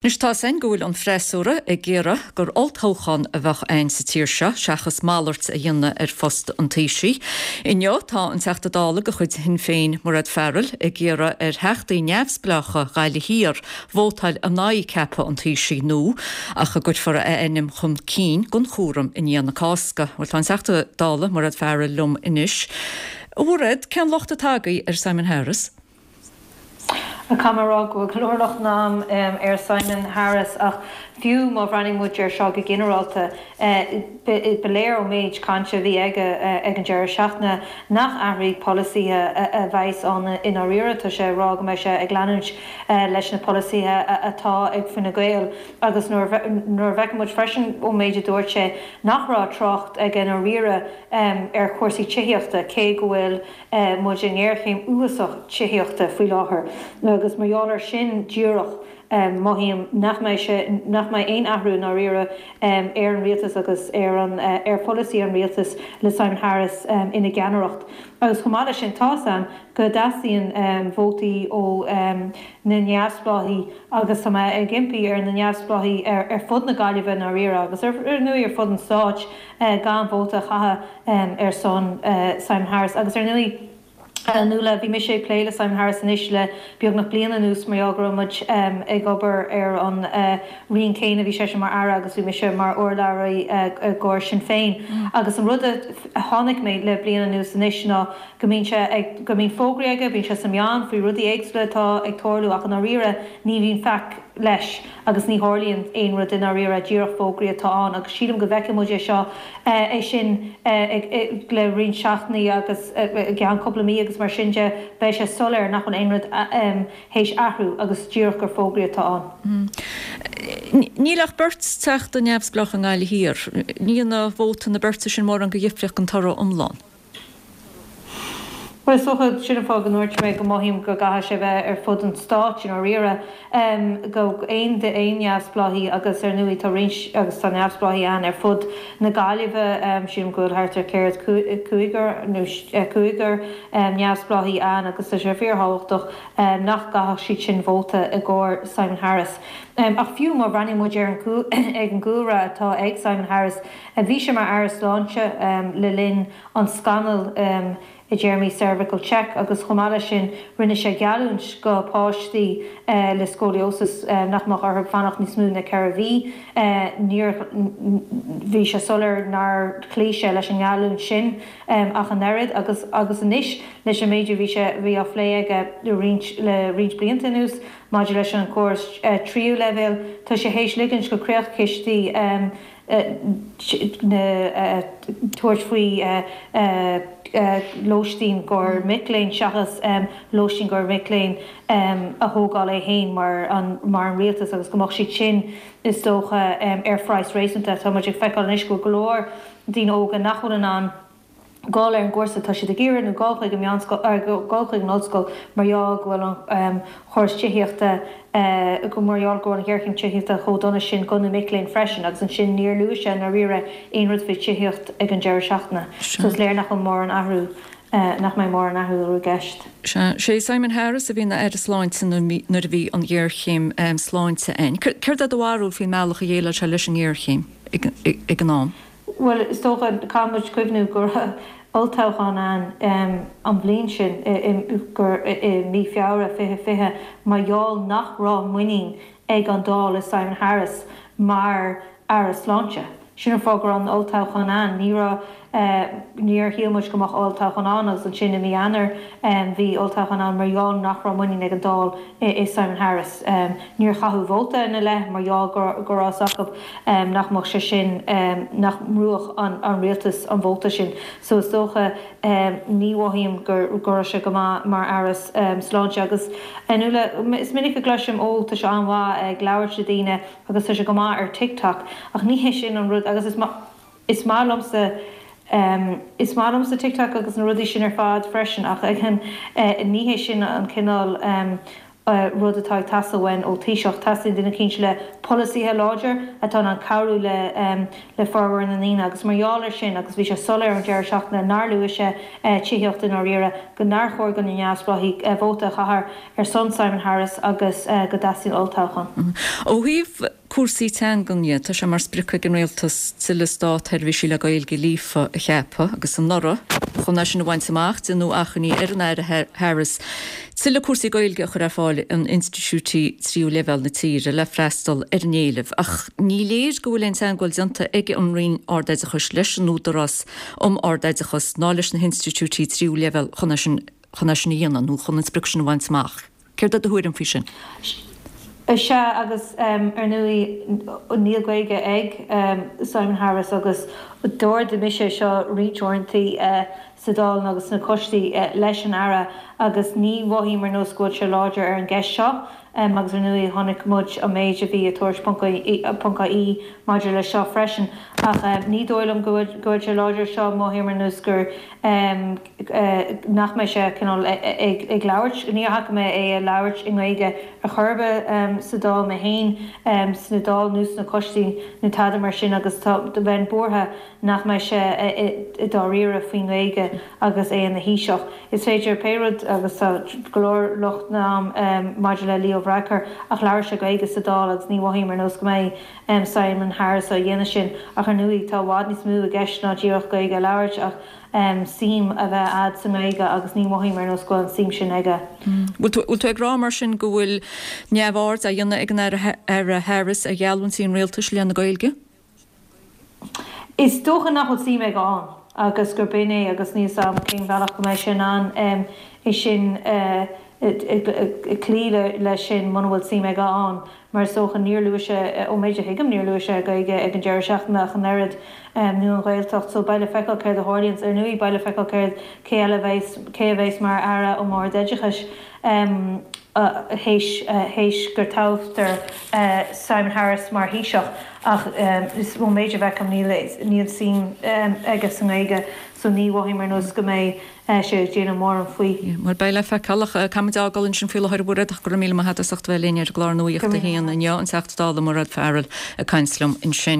Anois tá's a'inn go bhfuil an freasúra ag iarraidh gur olltoghchán a bheadh a'inn sa tír seo seachas malairt a dhéanamh ar phost an Taoisigh. Inniu tá an Teachta Dála de chuid Shinn Féin, Mairéad Farrell, ag iarraidh ar theachtaí neamhspleácha Ghaillimh Thiar vótáil in aghaidh ceapadh an Taoisigh nua ach a gcuirfear a ainm chun cinn don chúram i ndiaidh na Cásca. Bhuel tá an Teachta Dála, Mairéad Farrell liom anois. A Mhairéad, cén locht atá agaibh ar Simon Harris? Caithfidh mé a rá go bhfuil go leor lochtanna a'm ar Simon Harris ach fiú má bhreathnaíonn muid air seo go ginearálta, ba léir ón méid cainte a bhí aige ag an deireadh seachtaine nach athraigh polasaithe a bheas ann i ndáiríre. Tá sé ag rá go mbeidh sé ag leanúint leis na polasaithe atá ag Fine Gael agus nuair a fheiceann muid freisin ón méid a dúirt sé nach raibh trácht aige i ndáiríre ar chúrsaí tithíochta cé go bhfuil muid i ngéarchéim uafásach tithíochta faoi láthair agus mar gheall air sin díreach mothaím nach mbeidh sé, nach mbeidh aon athrú i ndáiríre ar an rialtas agus ar an, ar pholasaí an rialtais le Simon Harris ina gceannaireacht. Agus chomh maith leis sin tá's a'm go dteastaíonn vótaí ó na neamhspleáigh agus tá mé ag impí ar na neamhspleáigh ar fud na Gaillimhe i ndáiríre agus ar ndóigh ar fud an stáit gan vóta a chaitheamh ar son Simon Harris. Agus ar ndóigh, a Nuala, bhí mise ag plé le Simon Harris anois le beagnach bliain anuas mar gheall go raibh muid ag obair ar an roinn céanna, bhí seisean mar Aire agus bhí mise mar urlabhraí i gcomhair Sinn Féin. Agus an rud a chonaic mé le bliain anuas anois ná go mbíonn sé ag, go mbíonn fógraí aige, bíonn sé sna meáin faoi rudaí éagsúla atá ag tarlú ach i ndáiríre ní bhíonn faic leis agus ní tharlaíonn aon rud i ndáiríre, díreach fógraí atá ann agus sílim go bhfeicfidh muid é seo, é sin le roinnt seachtainí agus i gceann cúpla mí agus mar sin de, beidh sé soiléir nach bhfuil aon rud théis athrú agus díreach gur fógraí atá ann. Níl ach beirt Teachta neamhspleách i nGaillimh Thiar. Ní dhéanfaidh vóta na beirte sin mórán de dhifríocht don toradh iomlán. Bhuel, is dócha, sin an fáth go ndúirt mé go mothaím go gcaithfidh sé bheith ar fud an stáit i ndáiríre, go aon aon neamhspleáigh agus ar ndóigh tá roinnt agus tá neamhspleáigh ann ar fud na Gaillimhe, sílim go bhfuil thart ar céard cúigear nó cúigear neamhspleáigh ann agus tá sé fíorthábhachtach nach gcaithfeadh siad sin vóta i gcomhair Simon Harris. Ach fiú má bhreathnaíonn muid ar an ag an gcúlra atá ag Simon Harris, bhí sé mar Aire Sláinte le linn an scannail i dtéarmaí cervical check agus chomh maith leis sin rinne sé geallúint go páistí le scoliosis nach mbeadh orthu fanacht níos mó na 4 mhí. Níor bhí sé soiléir nár chloígh sé leis an ngeallúint sin ach an oiread agus agus anois leis an méid a bhí sé bhí á phlé aige le roinnt le roinnt blianta anuas maidir leis an gcóras tríú leibhéal tá sé théis ligint go creachchistí na tabhairt faoi lóistín do mhic léinn seachas lóistín do mhic léinn a thógáil é féin mar an mar an rialtas agus go mbeadh siad sin is dócha ar phraghas réasúnta. Tá muid ag feiceáil anois go bhfuil go leor daoine óga nach bhfuil in ann dul ar an gcúrsa atá siad ag iarraidh nó dul chuig an meánscoil, dul chuig an ollscoil mar gheall go bhfuil an chóras tithíochta, mar gheall go bhfuil an ghéarchéim tithíochta chomh dona sin do na mic léinn freisin agus ansin níor luaigh sé i ndáiríre aon rud faoi tithíocht ag an deireadh seachtaine. So is léir nach bhfuil mórán athrú, nach mbeidh mórán athrú i gceist. Sea, sé Simon Harris a bhí ina Aire Sláinte nuair a bhí an ghéarchéim sláinte ann. Céard é do bharúil faoin mbealach a dhéileáil sé leis an ngéarchéim ag an am? Bhuel, is dócha, caithfidh muid cuimhniú go raibh olltoghchán ann an bhliain sin, gur i mí Feabhra 2020, mar gheall nach raibh muinín ag an Dáil i Simon Harris mar Aire Sláinte. Sin an fáth go raibh an olltoghchán ann. Ní raibh, níor shíl muid go mbeadh olltoghchán ann agus ansin i mí Eanáir bhí olltoghchán ann mar gheall nach raibh muinín ag an Dáil i Simon Harris. Níor chaitheadh vóta ina leith mar gheall go raibh fhios acu nach mbeadh sé sin, nach mbrúfadh an rialtas an vóta sin. So is dócha, ní mhothaím go raibh sé go maith mar Aire Sláinte. Agus a Nuala, is minic a gcloisim, ó, tá sé an-mhaith ag labhairt le daoine agus tá sé go maith ar TikTok ach ní hé sin an rud agus is is maith liomsa is maith liomsa TikTok agus na rudaí sin ar fad freisin ach ní hé sin an cineál. rud atá ag teastáil uainn ó Thaoiseach. Teastaíonn duine eicínt le polasaithe láidir atá in ann cabhrú le le formhór na ndaoine agus mar gheall ar sin, agus bhí sé soiléir ón deireadh seachtaine nár luaigh sé tithíocht i ndáiríre, go nár chóir do na neamhspleáigh vóta a chaitheamh ar son Simon Harris agus go dteastaíonn olltoghchán. Ó thaobh cúrsaí teangan dhe, tá sé mar sprioc ag an Rialtas tuilleadh státsheirbhísigh le Gaeilge líofa a cheapadh agus anuraidh, chun é sin a bhaint amach, déanadh achainí ar an Aire Harris tuilleadh cúrsaí Gaeilge a chur ar fáil in institiúidí tríú leibhéal na tíre le freastal ar an éileamh. Ach ní léir go bhfuil aon teagmháil déanta ag an Roinn Ard-Oideachais leis an Údarás um Ard-Oideachas ná leis na hinstitiúidí tríú leibhéal chun é sin chun é sin a dhéanamh nó chun an sprioc sin a bhaint amach. Céard é do thuairim faoi sin? Sea, agus ar ndóigh níl Gaeilge ag Simon Harris agus d'ardaigh mise é seo roinnt uaireanta sa Dáil agus sna coistí leis an Aire agus ní mhothaím ar nós go bhfuil sé láidir ar an gceist seo agus ar ndóigh chonaic muid an méid a bhí i Tuairisc ponc ie maidir leis seo freisin ach ní dóigh liom go bhfuil sé láidir ar seo, mothaím ar nós gur nach mbeidh sé cineál ag labhairt, níor chuala mé é ag labhairt i nGaeilge ar chor ar bith sa Dáil mé féin, sna Dáil nó sna coistí nó tada mar sin agus tá, bheinn buartha nach mbeidh sé i dáiríre faoin nGaeilge agus é ina Thaoiseach. Is féidir pé rud agus tá go leor locht agam maidir le Leo Varadkar ach labhair sé Gaeilge sa Dáil agus ní mhothaím ar nós go mbeidh Simon Harris á dhéanamh sin ach ar ndóigh tá i bhfad níos mó i gceist ná díreach Gaeilge a labhairt ach suim a bheith a'd sa nGaeilge agus ní mhothaím ar nós go bhfuil an suim sin aige. Bhfuil tú ag rá mar sin go bhfuil neamhaird á dhéanamh ag an Aire Harris ar gheallúintí an Rialtais i leith na Gaeilge? Is dócha nach bhfuil suim aige ann agus gur b'in é agus níl 's a'm cén bhealach go mbeidh sé in ann é sin cloí leis sin muna bhfuil suim aige ann mar is dócha níor luaigh sé, ón méid a thuigim, níor luaigh sé Gaeilge ag an deireadh seachtaine ach an oiread nó an Ghaeltacht so beidh le feiceáil céard a tharlaíonns. Ar ndóigh beidh le feiceáil céard, cé eile a bheas, cé a bheas mar Aire um Ard-Oideachais. théis théis gur toghtar Simon Harris mar Thaoiseach ach ón méid a fheicim níl níl suim aige sa nGaeilge so ní mhothaím ar nós go mbeidh sé ag déanamh mórán faoi. Bhuel beidh le feiceáil ach caithfimid a fhágáil ansin faoi láthair a Mhairéad ach go raibh míle maith agat as ucht a bheith linn ar an gclár Nuacht a hAon inniu, an Teachta Dála Mairéad Farrell ag caint liom ansin.